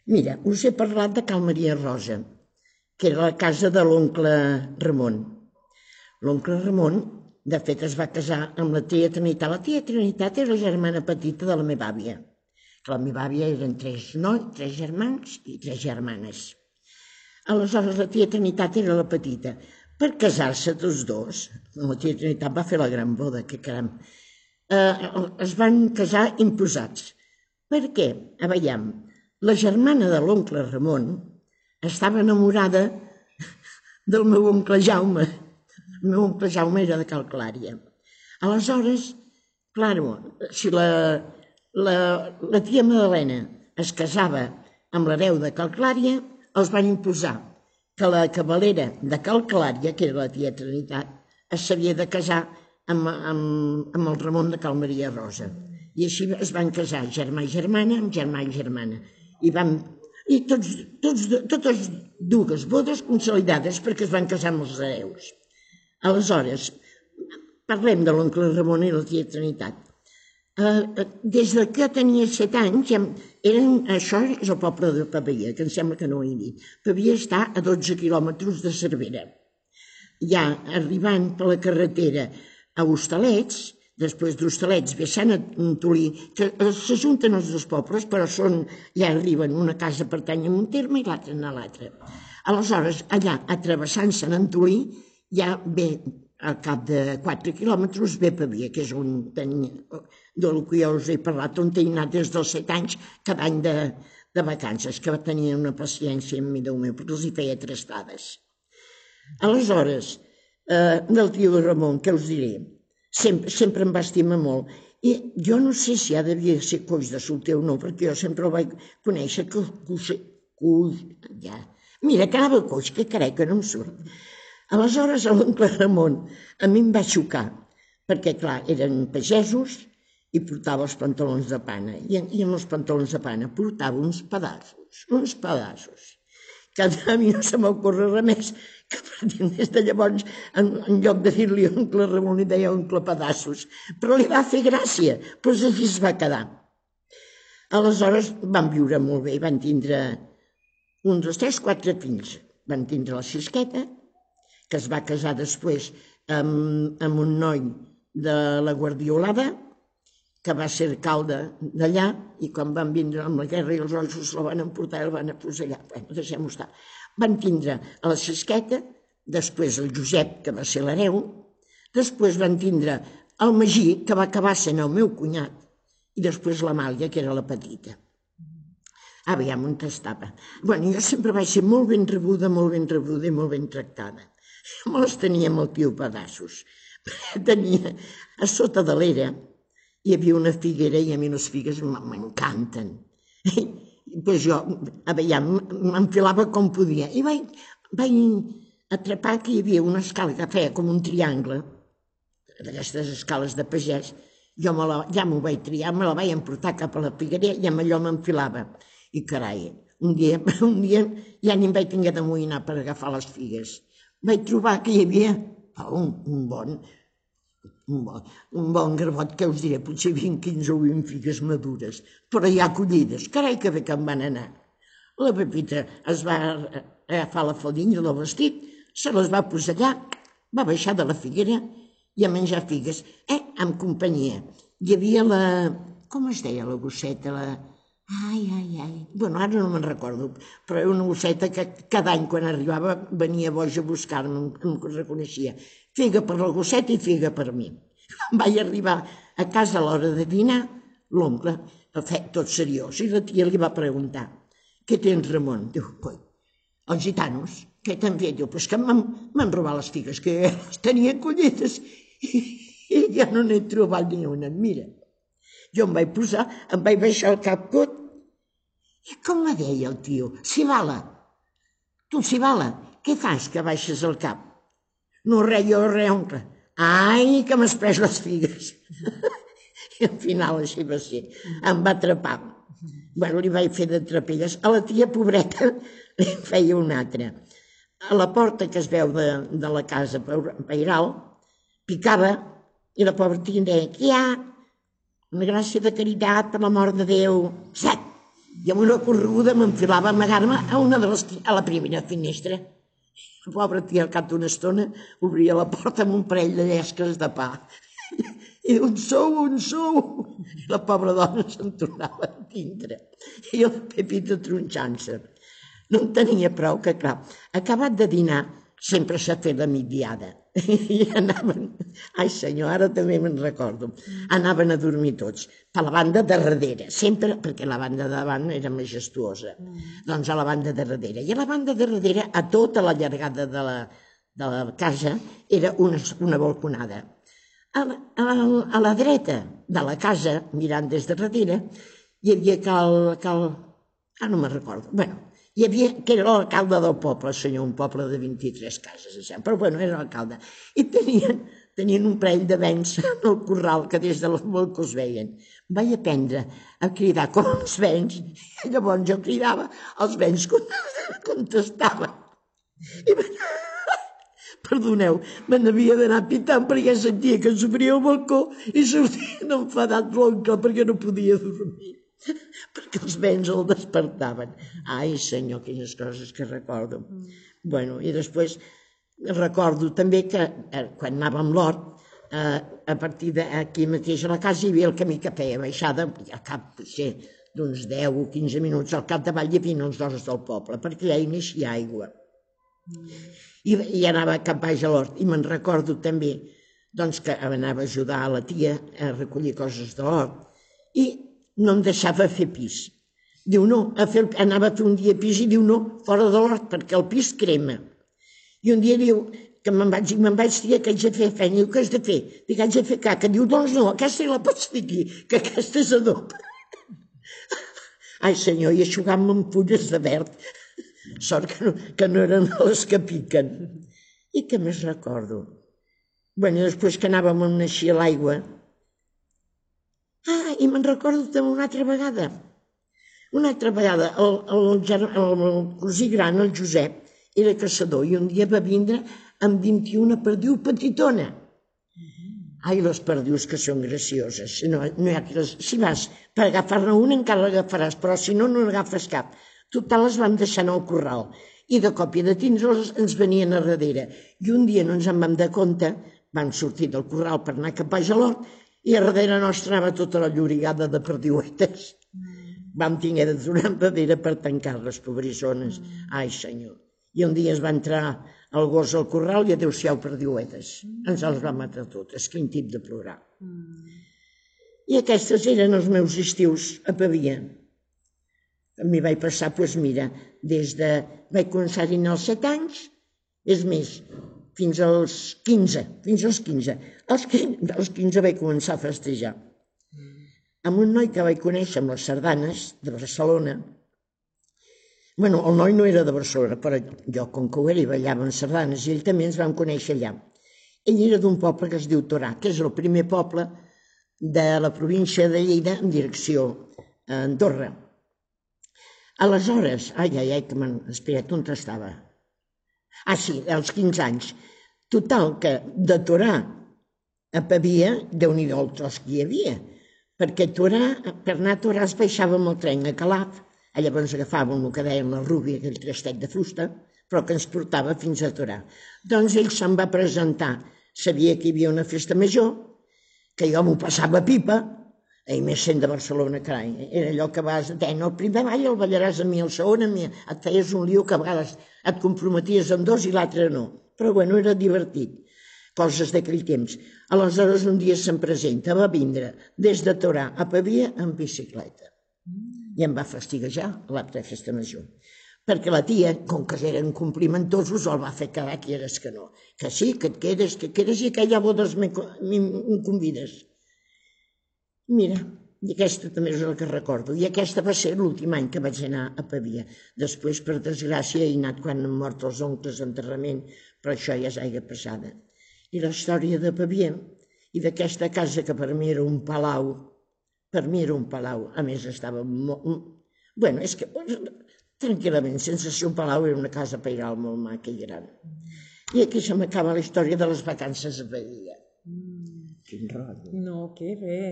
Mira, us he parlat de Cal Maria Rosa, que era la casa de l'oncle Ramon. L'oncle Ramon, de fet, es va casar amb la tia Trinitat. La tia Trinitat era la germana petita de la meva àvia. La meva àvia eren 3 germans i 3 germanes. Aleshores, la tia Trinitat era la petita. Per casar-se tots dos, la tia Trinitat va fer la gran boda, que caram, es van casar imposats. Per què? A veure, la germana de l'oncle Ramon estava enamorada del meu oncle Jaume. El meu oncle Jaume era de Cal Clària. Aleshores, clar, si la tia Madalena es casava amb l'hereu de Cal Clària, els van imposar que la cavalera de Cal Clària, que era la tia Trinitat, s'havia de casar amb el Ramon de Cal Maria Rosa. I així es van casar germà i germana amb germà i germana. I totes dues bodes consolidades perquè es van casar amb els hereus. Aleshores, parlem de l'oncle Ramon i la tia Trinitat. Des que jo tenia 7 anys, això és el poble de Pavia, que em sembla que no ho he dit. Pavia està a 12 quilòmetres de Cervera. Ja arribant per la carretera a Hostalets, després d'Hostalets ve Sant Antolí, que s'ajunten els dos pobles, però ja arriben, una casa pertany a un terme i l'altra a l'altre. Aleshores, allà, travessant Sant Antolí, ja ve, al cap de 4 quilòmetres, ve Pavia, que és on tenia, del que jo us he parlat, on he anat des dels 7 anys, cada any de vacances, que tenia una paciència amb mi, Déu meu, perquè els hi feia trastades. Aleshores, del tio Ramon, què us diré? Sempre em va estimar molt. I jo no sé si devia ser coix de solter o no, perquè jo sempre el vaig conèixer Mira, que anava coix, que carai, que no em surt. Aleshores, l'oncle Ramon a mi em va xocar, perquè, clar, eren pagesos i portava els pantalons de pana. I amb els pantalons de pana portava uns pedassos, que a mi no se m'ocorre res més, que a partir de llavors, en lloc de dir-li oncle Ramon, li deia oncle Pedassos. Però li va fer gràcia, doncs així es va quedar. Aleshores van viure molt bé, van tindre 1, 2, 3, 4 fills. Van tindre la Xisqueta, que es va casar després amb un noi de la Guardiolada, que va ser alcalde d'allà, i quan van vindre amb la guerra i els ossos la van emportar i el van afusellar. Bé, deixem-ho estar. Van tindre a la Xisqueta, després el Josep, que va ser l'hereu, després van tindre el Magí, que va acabar sent el meu cunyat, i després l'Amàlia, que era la petita. Aviam on estava. Bé, jo sempre vaig ser molt ben rebuda i molt ben tractada. Jo me les tenia amb el tio Pedassos. Tenia, a sota de l'era, hi havia una figuera i a mi les figues m'encanten. Doncs jo, m'enfilava com podia. I vaig atrapar que hi havia una escala que feia com un triangle, d'aquestes escales de pagès. Jo ja m'ho vaig triar, me la vaig emportar cap a la figuera i amb allò m'enfilava. I carai, un dia ja ni em vaig tinguer d'amoïnar per agafar les figues. Vaig trobar que hi havia un bon garbot, que us diré, potser 20, 15 o 20 figues madures, però ja collides. Carai, que bé que em van anar. La Pepita es va agafar la faldilla del vestit, se les va posar allà, va baixar de la figuera i a menjar figues, amb companyia. Hi havia com es deia la gosseta? Bueno, ara no me'n recordo, però era una gosseta que cada any quan arribava venia boja a buscar-me, em reconeixia. Figa per la gosseta i figa per mi. Vaig arribar a casa a l'hora de dinar, l'oncle, tot seriós, i la tia li va preguntar: què tens, Ramon? Diu, coi, els gitanos, què t'han fet? Diu, pues que m'han robat les figues, que les tenia collides i ja no n'he trobat ni una. Mira, jo em vaig posar, em vaig baixar el cap cot, i com me deia el tio, Cibala, tu, Cibala, què fas que baixes el cap? No, res, jo, res, oncle. Ai, que m'has pres les figues. I al final així va ser. Em va atrapar. Bueno, li vaig fer de trapelles. A la tia pobreta li feia una altra. A la porta que es veu de la casa pairal, picava, i la pobra tia deia, què hi ha? una gràcia de caritat, per l'amor de Déu, set. I amb una correguda m'enfilava a amagar-me a la primera finestra. La pobra tia, al cap d'una estona, obria la porta amb un parell de llesques de pa. I un sou. I la pobra dona se'n tornava a dintre. I el Pepito tronxant-se. No en tenia prou que, clar, acabat de dinar, sempre s'ha fet la migdiada. I anaven, ai senyor, ara també me'n recordo, anaven a dormir tots, per la banda de darrere, sempre, perquè la banda de davant era majestuosa, doncs a la banda de darrere. I a la banda de darrere, a tota la llargada de la casa, era una balconada. A la dreta de la casa, mirant des de darrere, hi havia no me'n recordo, bueno, hi havia, que era l'alcalde del poble, senyor, un poble de 23 cases, però bueno, era l'alcalde. I tenien un parell de vents en el corral que des del balcó es veien. Vaig aprendre a cridar com els vents, i llavors jo cridava, els vents contestaven. I perdoneu, me n'havia d'anar pitant perquè sentia que s'obria el balcó i sortia enfadat l'oncle perquè no podia dormir. Perquè els vents el despertaven. Ai, senyor, quines coses que recordo. Bueno, i després recordo també que quan anava amb l'hort, a partir d'aquí mateix a la casa hi havia el camí que feia baixada, al cap d'uns 10 o 15 minuts, al capdavall hi havia els horts del poble, perquè allà hi naixia aigua. I anava cap baix a l'hort. I me'n recordo també que anava a ajudar a la tia a recollir coses de l'hort. I no em deixava fer pis. Diu no, anava a fer un dia pis i diu no, fora de l'hort, perquè el pis crema. I un dia diu que me'n vaig dir que haig de fer feina. Diu, què has de fer? Dic, haig de fer caca. Diu, doncs no, aquesta la pots dir aquí, que aquesta és adob. Ai senyor, i aixugant-me amb fulles de verd. Sort que no eren les que piquen. I què més recordo? Bueno, després que anàvem a naixer a l'aigua, i me'n recordo també una altra vegada. Una altra vegada, el cosí gran, el Josep, era caçador i un dia va vindre amb 21 perdiu petitona. Ai, les perdius que són gracioses. Si vas per agafar-ne una encara l'agafaràs, però si no, no n'agafes cap. Total, les vam deixar en el corral i de cop i de tindre'ls ens venien a darrere. I un dia no ens en vam dar compte, vam sortir del corral per anar cap a l'hort i a darrere nostra anava tota la llorigada de perdiuetes. Vam tenir de donar enrere per tancar-les, pobrissones. Ai, senyor. I un dia es va entrar el gos al corral i adéu-siau perdiuetes. Ens els va matar totes, quin tip de plorar. I aquestes eren els meus estius a Pavia. M'hi vaig passar, doncs mira, vaig començar-hi als 7 anys, és més, fins als 15. Als 15 vaig començar a festejar. Amb un noi que vaig conèixer amb les sardanes de Barcelona. Bueno, el noi no era de Barcelona, però jo, com que ho era, hi ballava en sardanes i ell també ens vam conèixer allà. Ell era d'un poble que es diu Torà, que és el primer poble de la província de Lleida en direcció a Andorra. Aleshores, espera't, on estava? Sí, als 15 anys. Total, que de Torà a Pavia, Déu-n'hi-do el tros que hi havia, perquè per anar a Torà es baixava amb el tren a Calaf, llavors agafàvem el que deien la Rúbia, aquell trastet de fusta, però que ens portava fins a Torà. Doncs ell se'n va presentar, sabia que hi havia una festa major, que jo m'ho passava pipa, i més sent de Barcelona, carai, era allò que vas, el primer ball el ballaràs a mi, el segon a mi, et feies un lío que a vegades et comprometies amb dos i l'altre no, però bueno, era divertit, coses d'aquell temps. Aleshores un dia se'm presenta, va vindre des de Torà a Pavia en bicicleta i em va fastiguejar l'acte de festa major, perquè la tia, com que eren complimentosos, el va fer quedar que eres que no, que sí, que et quedes i aquella bodes em convides. Mira, i aquesta també és el que recordo. I aquesta va ser l'últim any que vaig anar a Pavia. Després, per desgràcia, he anat quan han mort els oncles d'enterrament, però això ja és aigua passada. I la història de Pavia i d'aquesta casa que per mi era un palau, a més estava molt... Bueno, és que tranquil·lament, sense ser un palau, era una casa pairal molt maca i gran. I aquí se m'acaba la història de les vacances a Pavia. Quin rotllo. No, que bé.